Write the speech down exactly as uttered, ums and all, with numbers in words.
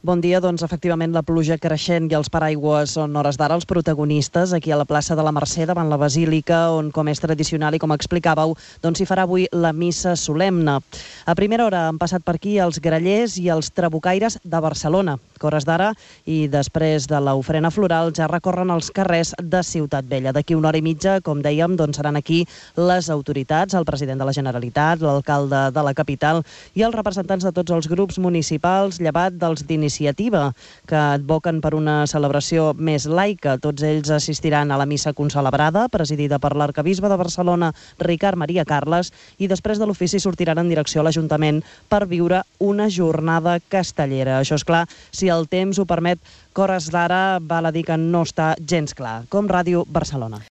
Bon dia. Doncs efectivament la pluja creixent i els paraigües són hores d'ara els protagonistes aquí a la plaça de la Mercè davant la Basílica, on, com és tradicional i com explicàveu, doncs s'hi farà avui la missa solemne. A primera hora han passat per aquí els grallers i els trabucaires de Barcelona, que hores d'ara i després de l'ofrena floral ja recorren els carrers de Ciutat Vella. D'aquí una hora i mitja, com dèiem, doncs seran aquí les autoritats, el president de la Generalitat, l'alcalde de la capital i els representants de tots els grups municipals, llevat dels d'iniciativa, que advoquen per una celebració més laica. Tots ells assistiran a la missa concelebrada, presidida per l'arcabisbe de Barcelona, Ricard Maria Carles, i després de l'ofici sortiran en direcció a l'Ajuntament per viure una jornada castellera. Això és clar, si el temps ho permet, que hores d'ara val a dir que no està gens clar. Com Ràdio Barcelona.